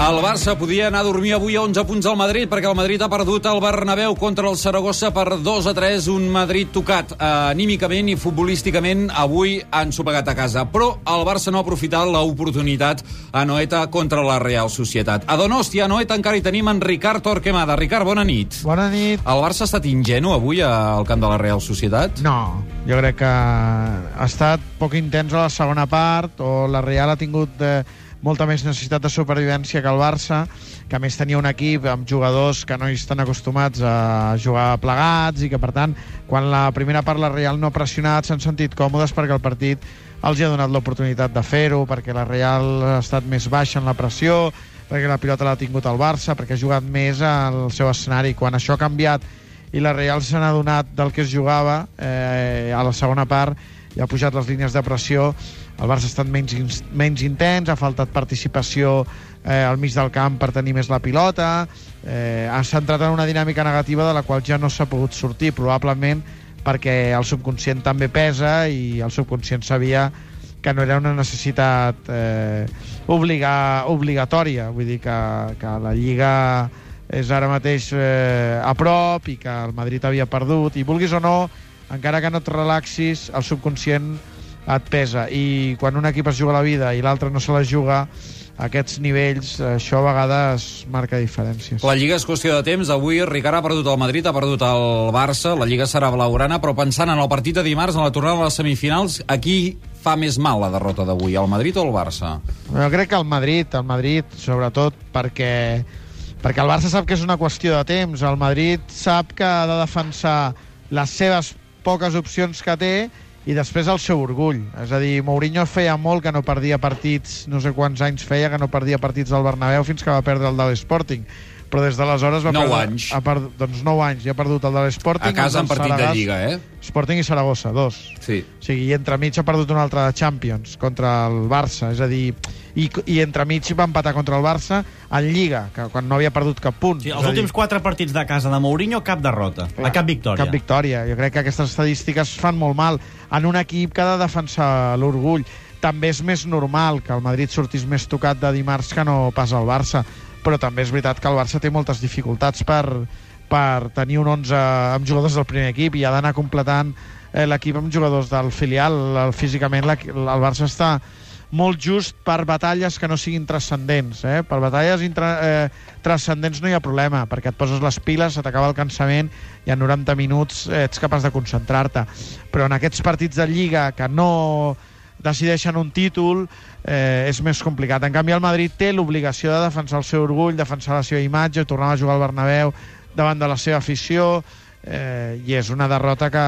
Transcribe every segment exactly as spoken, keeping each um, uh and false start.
El Barça podia anar a dormir avui a onze punts al Madrid perquè el Madrid ha perdut al Bernabéu contra el Saragossa per dos a tres, un Madrid tocat eh, anímicament i futbolísticament. Avui han sopegat a casa, però el Barça no ha aprofitat l'oportunitat a Noeta contra la Real Societat. A Donostia, a Noeta, encara hi tenim en Ricard Torquemada. Ricard, bona nit. Bona nit. El Barça ha estat ingenu avui al camp de la Real Societat? No, jo crec que ha estat poc intens a la segona part, o la Real ha tingut eh, molta més necessitat de supervivència que el Barça, que a més tenia un equip amb jugadors que no hi estan acostumats a jugar plegats i que, per tant, quan la primera part la Real no ha pressionat, s'han sentit còmodes perquè el partit els hi ha donat l'oportunitat de fer-ho, perquè la Real ha estat més baixa en la pressió, perquè la pilota l'ha tingut el Barça, perquè ha jugat més al seu escenari. Quan això ha canviat i la Real se n'ha adonat del que es jugava eh, a la segona part i ha pujat les línies de pressió, el Barça ha estat menys, menys intens, ha faltat participació eh, al mig del camp per tenir més la pilota, eh, s'ha entrat en una dinàmica negativa de la qual ja no s'ha pogut sortir, probablement perquè el subconscient també pesa i el subconscient sabia que no era una necessitat eh, obliga, obligatòria, vull dir que, que la Lliga és ara mateix eh, a prop i que el Madrid havia perdut, i vulguis o no, encara que no et relaxis, el subconscient et pesa, i quan un equip es juga la vida i l'altre no se la juga, a aquests nivells, això a vegades marca diferències. La Lliga és qüestió de temps. Avui Ricard ha perdut el Madrid, ha perdut el Barça, la Lliga serà blaugrana, però pensant en el partit de dimarts, en la tornada a les semifinals, aquí fa més mal la derrota d'avui, el Madrid o el Barça? Jo crec que el Madrid, el Madrid, sobretot perquè perquè el Barça sap que és una qüestió de temps, el Madrid sap que ha de defensar les seves poques opcions que té i després el seu orgull. És a dir, Mourinho feia molt que no perdia partits, no sé quants anys feia que no perdia partits del Bernabéu fins que va perdre el de l'Sporting. Però des d'aleshores va nou perdre... anys. Ha perdut, doncs nou anys, ja ha perdut el de l'Sporting. A casa en partit de Lliga, eh? Sporting i Saragossa, dos. Sí. O sigui, i entremig ha perdut un altre de Champions contra el Barça, és a dir, i, i entremig va empatar contra el Barça en Lliga, que quan no havia perdut cap punt. Sí, els últims dir... quatre partits de casa de Mourinho, cap derrota, Clar, cap victòria. Cap victòria. Jo crec que aquestes estadístiques fan molt mal en un equip que ha de defensar l'orgull. També és més normal que el Madrid sortís més tocat de dimarts que no pas el Barça, però també és veritat que el Barça té moltes dificultats per, per tenir un onze amb jugadors del primer equip i ha d'anar completant eh, l'equip amb jugadors del filial. El, físicament la, el Barça està molt just per batalles que no siguin transcendents. Eh? Per batalles intra, eh, transcendents no hi ha problema, perquè et poses les piles, se t'acaba el cansament i en noranta minuts eh, ets capaç de concentrar-te. Però en aquests partits de Lliga que no decideixen un títol, eh, és més complicat. En canvi, el Madrid té l'obligació de defensar el seu orgull, defensar la seva imatge, tornar a jugar al Bernabéu davant de la seva afició, eh, i és una derrota que,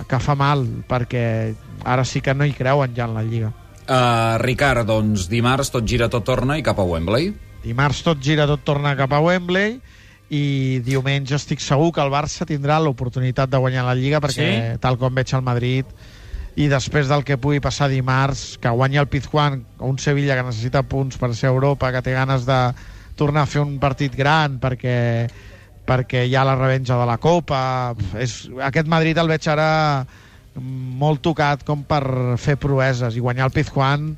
que fa mal, perquè ara sí que no hi creuen ja en la Lliga. Uh, Ricard, doncs dimarts tot gira, tot torna i cap a Wembley. Dimarts tot gira, tot torna cap a Wembley, i diumenge estic segur que el Barça tindrà l'oportunitat de guanyar la Lliga, perquè sí? Tal com veig el Madrid, i després del que pugui passar dimarts, que guanyi el Pizjuán, un Sevilla que necessita punts per ser a Europa, que té ganes de tornar a fer un partit gran perquè, perquè hi ha la revenja de la Copa. És, aquest Madrid el veig ara molt tocat com per fer proeses, i guanyar el Pizjuán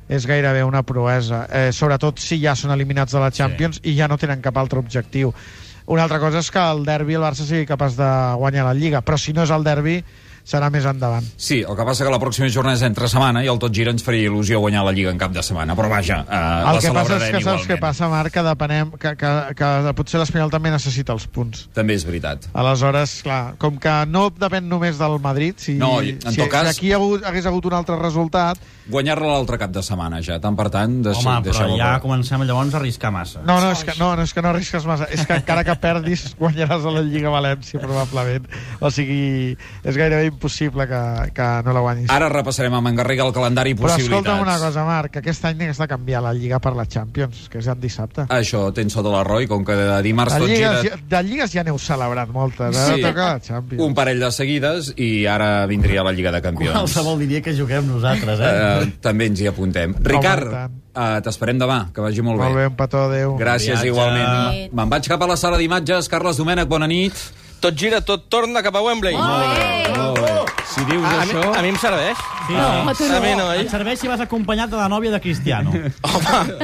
és gairebé una proesa, eh, sobretot si ja són eliminats de la Champions, sí, i ja no tenen cap altre objectiu. Una altra cosa és que el derbi el Barça sigui capaç de guanyar la Lliga, però si no és el derbi serà més endavant. Sí, el que passa que la pròxima jornada és entre setmana i el tot gira ens faria il·lusió guanyar la Lliga en cap de setmana, però vaja, eh, el la que passa és que igualment. Saps què passa, Marc, que depenem que, que, que potser l'Espanyol també necessita els punts. També és veritat. Aleshores, clar, com que no depèn només del Madrid, si, no, en si, tot cas, si aquí hagut, hagués hagut un altre resultat, guanyar-la l'altre cap de setmana ja, tant per tant deixi, home, però ja per... comencem llavors a arriscar massa. No, no, és que no, no, és que no arrisques massa, és que encara que perdis guanyaràs a la Lliga València probablement, o sigui, és gairebé impossible que, que no la guanyis. Ara repassarem amb en Garriga el calendari i possibilitats. Però escolta'm una cosa, Marc, aquest any has de canviar la Lliga per la Champions, que és en dissabte. Això tens sota l'arroi, com que de dimarts tot gira... Ja, de Lligues ja n'heu celebrat moltes, ara sí, toca la Champions. Un parell de seguides i ara vindria la Lliga de Campions. Qualsevol diria que juguem nosaltres, eh? Uh, també ens hi apuntem. Ricard, uh, t'esperem demà, que vagi molt, molt bé. Molt bé, un petó, adéu. Gràcies, Viatge. igualment. Me'n vaig cap a la sala d'imatges. Carles Domènech, bona nit. Tot gira, tot torna cap a Wembley. Molt bé, molt bé. Si dius a, això... A mi, a mi em serveix. Sí, no, sí. no. A mi no, eh? Et serveix si vas acompanyat de la nòvia de Cristiano. Home,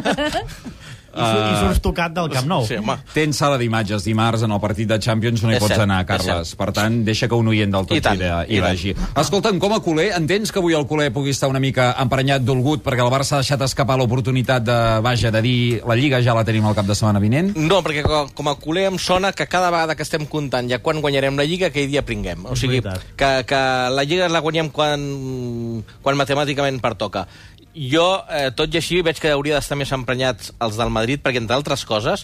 I, uh, I surts tocat del Camp Nou. Sí, home. Tens sala d'imatges dimarts en el partit de Champions, no hi És pots cert, anar, és Carles. cert. Per tant, deixa que un oient del tot I tant, hi, hi i tant. vagi. Escolta'm, com a culer, entens que avui el culer pugui estar una mica emprenyat, dolgut, perquè el Barça ha deixat escapar l'oportunitat de, vaja, de dir la Lliga ja la tenim al cap de setmana vinent? No, perquè com, com a culer em sona que cada vegada que estem comptant ja quan guanyarem la Lliga, aquell dia pringuem. O sigui, que, que la Lliga la guanyem quan, quan matemàticament pertoca. Jo, eh, tot i així, veig que hauria d'estar més emprenyats els del Madrid, perquè, entre altres coses,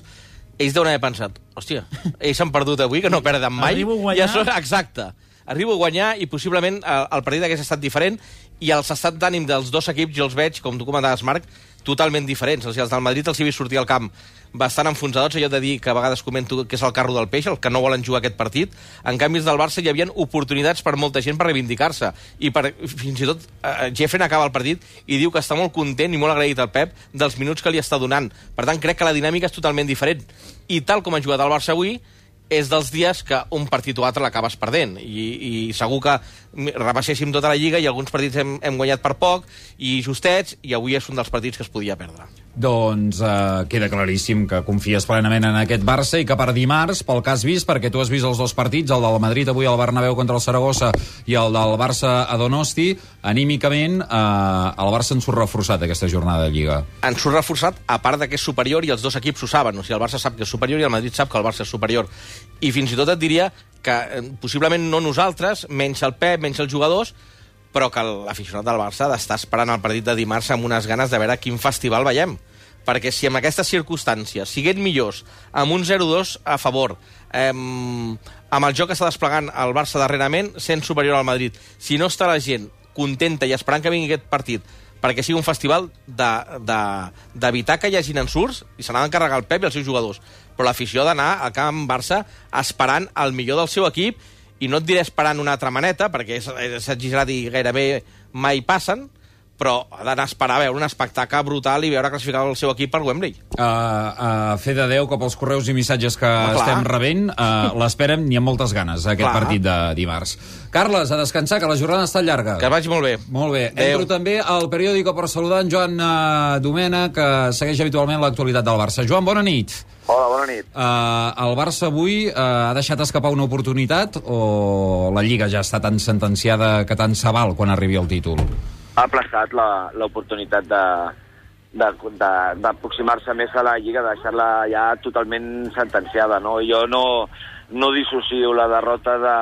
ells deuen haver pensat, hòstia, ells s'han perdut avui, que no perden mai. Arribo a guanyar. Ja són, exacte. Arribo a guanyar i possiblement el, el partit hagués estat diferent i els estats d'ànim dels dos equips jo els veig, com tu comentaves, Marc, totalment diferents. O sigui, els del Madrid els hi he vist sortir al camp bastant enfonsadors, allò de dir que a vegades comento que és el carro del peix, el que no volen jugar aquest partit. En canvi, els del Barça hi havia oportunitats per molta gent per reivindicar-se. I per, fins i tot eh, Jeffren acaba el partit i diu que està molt content i molt agraït al Pep dels minuts que li està donant. Per tant, crec que la dinàmica és totalment diferent. I tal com ha jugat el Barça avui, és dels dies que un partit o altre l'acabes perdent. I, i segur que repasséssim tota la Lliga i alguns partits hem, hem guanyat per poc i justets, i avui és un dels partits que es podia perdre. Doncs eh, queda claríssim que confies plenament en aquest Barça i que per dimarts, pel que has vist, perquè tu has vist els dos partits, el del Madrid avui al Bernabéu contra el Saragossa i el del Barça a Donosti, anímicament eh, el Barça en surt reforçat aquesta jornada de Lliga. En surt reforçat, a part de que és superior i els dos equips ho saben. O sigui, el Barça sap que és superior i el Madrid sap que el Barça és superior. I fins i tot et diria que eh, possiblement no nosaltres, menys el Pep, menys els jugadors, però que l'aficionat del Barça ha d'estar esperant el partit de dimarts amb unes ganes de veure quin festival veiem. Perquè si en aquestes circumstàncies siguin millors, amb un zero dos a favor, eh, amb el joc que està desplegant el Barça darrerament, sent superior al Madrid, si no està la gent contenta i esperant que vingui aquest partit perquè sigui un festival d'evitar que hi hagin ensurts, i se n'ha d'encarregar el Pep i els seus jugadors, però l'afició ha d'anar al camp Barça esperant el millor del seu equip, i no et diré esperant una altra maneta, perquè és, és exagerat i gairebé mai passen, però ha d'anar a esperar a veure un espectacle brutal i veure classificar el seu equip per Wembley. Uh, uh, fe de Déu que pels correus i missatges que Home, estem rebent uh, l'esperem ni amb moltes ganes, aquest Clar. partit de dimarts. Carles, a descansar, que la jornada està llarga. Que vagi molt bé. Molt bé. Adéu. Entro també al periòdico per saludar en Joan uh, Domena, que segueix habitualment l'actualitat del Barça. Joan, bona nit. Hola, bona nit. Uh, el Barça avui uh, ha deixat escapar una oportunitat o la Lliga ja està tan sentenciada que tant se val quan arribi el títol? Ha aplaçat l'oportunitat d'aproximar-se més a la Lliga, de deixar-la ja totalment sentenciada, no? Jo no, no dissocio la derrota de,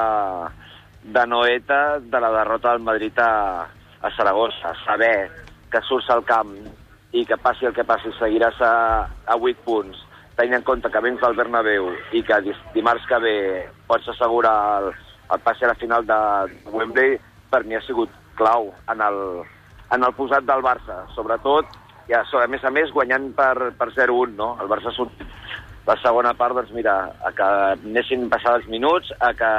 de Noeta de la derrota del Madrid a, a Saragossa. Saber que surts al camp i que passi el que passi seguiràs a, a vuit punts, tenint en compte que vens al Bernabéu i que dimarts que ve pots assegurar el, el passi a la final de Wembley, per mi ha sigut clau en el, en el posat del Barça, sobretot, ja, a més a més, guanyant per, per zero un, no? El Barça ha sortit la segona part, doncs mira, a que anessin passar els minuts, a, que,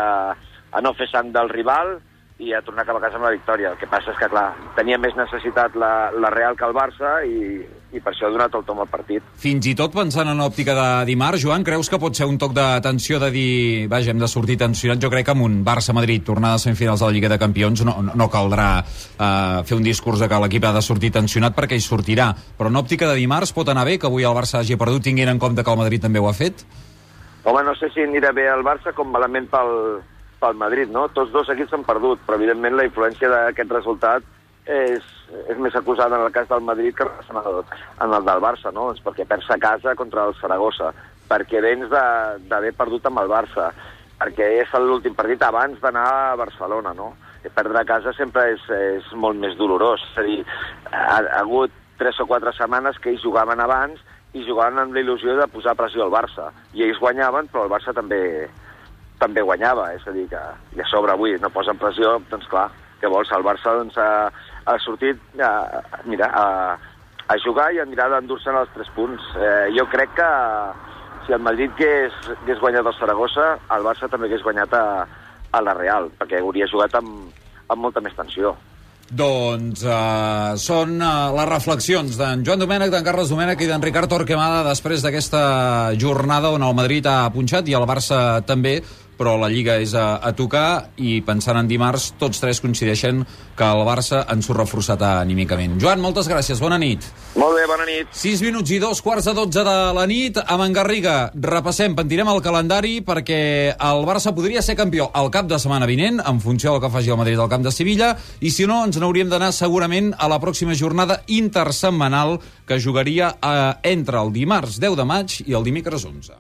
a no fer sang del rival i a tornar cap a casa amb la victòria. El que passa és que, clar, tenia més necessitat la, la Real que el Barça i, i per això ha donat el tom al partit. Fins i tot pensant en òptica de dimarts, Joan, creus que pot ser un toc d'atenció de dir, vaja, hem de sortir tensionats? Jo crec que amb un Barça-Madrid tornada a semifinals de la Lliga de Campions no, no caldrà uh, fer un discurs de que l'equip ha de sortir tensionat perquè hi sortirà. Però en òptica de dimarts pot anar bé que avui el Barça hagi perdut tinguent en compte que el Madrid també ho ha fet? Home, no sé si anirà bé el Barça com malament pel, pel Madrid, no? Tots dos equips s'han perdut, però evidentment la influència d'aquest resultat és, és més acusada en el cas del Madrid que en el, en el del Barça, no? És perquè perds a casa contra el Saragossa, perquè vens d'haver perdut amb el Barça, perquè és l'últim partit abans d'anar a Barcelona, no? I perdre a casa sempre és, és molt més dolorós. És a dir, ha, ha hagut tres o quatre setmanes que ells jugaven abans i jugaven amb la il·lusió de posar pressió al Barça. I ells guanyaven, però el Barça també també guanyava, és a dir, que i a sobre avui no posen pressió, doncs clar, què vols? El Barça doncs, ha, ha sortit a, mira, a, a jugar i a mirar d'endur-se'n els tres punts. Eh, jo crec que si el Madrid hagués, hagués guanyat el Saragossa, el Barça també hagués guanyat a, a la Real, perquè hauria jugat amb, amb molta més tensió. Doncs uh, són uh, les reflexions d'en Joan Domènech, d'en Carles Domènech i d'en Ricard Torquemada després d'aquesta jornada on el Madrid ha punxat i el Barça també, però la Lliga és a, a tocar i pensant en dimarts, tots tres coincideixen que el Barça ens ho reforçat anímicament. Joan, moltes gràcies, bona nit. Molt bé, bona nit. sis minuts i dos quarts de dotze de la nit. Amb en Garriga repassem, pentirem el calendari perquè el Barça podria ser campió el cap de setmana vinent, en funció del que faci el Madrid al camp de Sevilla, i si no, ens n'hauríem d'anar segurament a la pròxima jornada intersetmanal que jugaria eh, entre el dimarts deu de maig i el dimecres onze.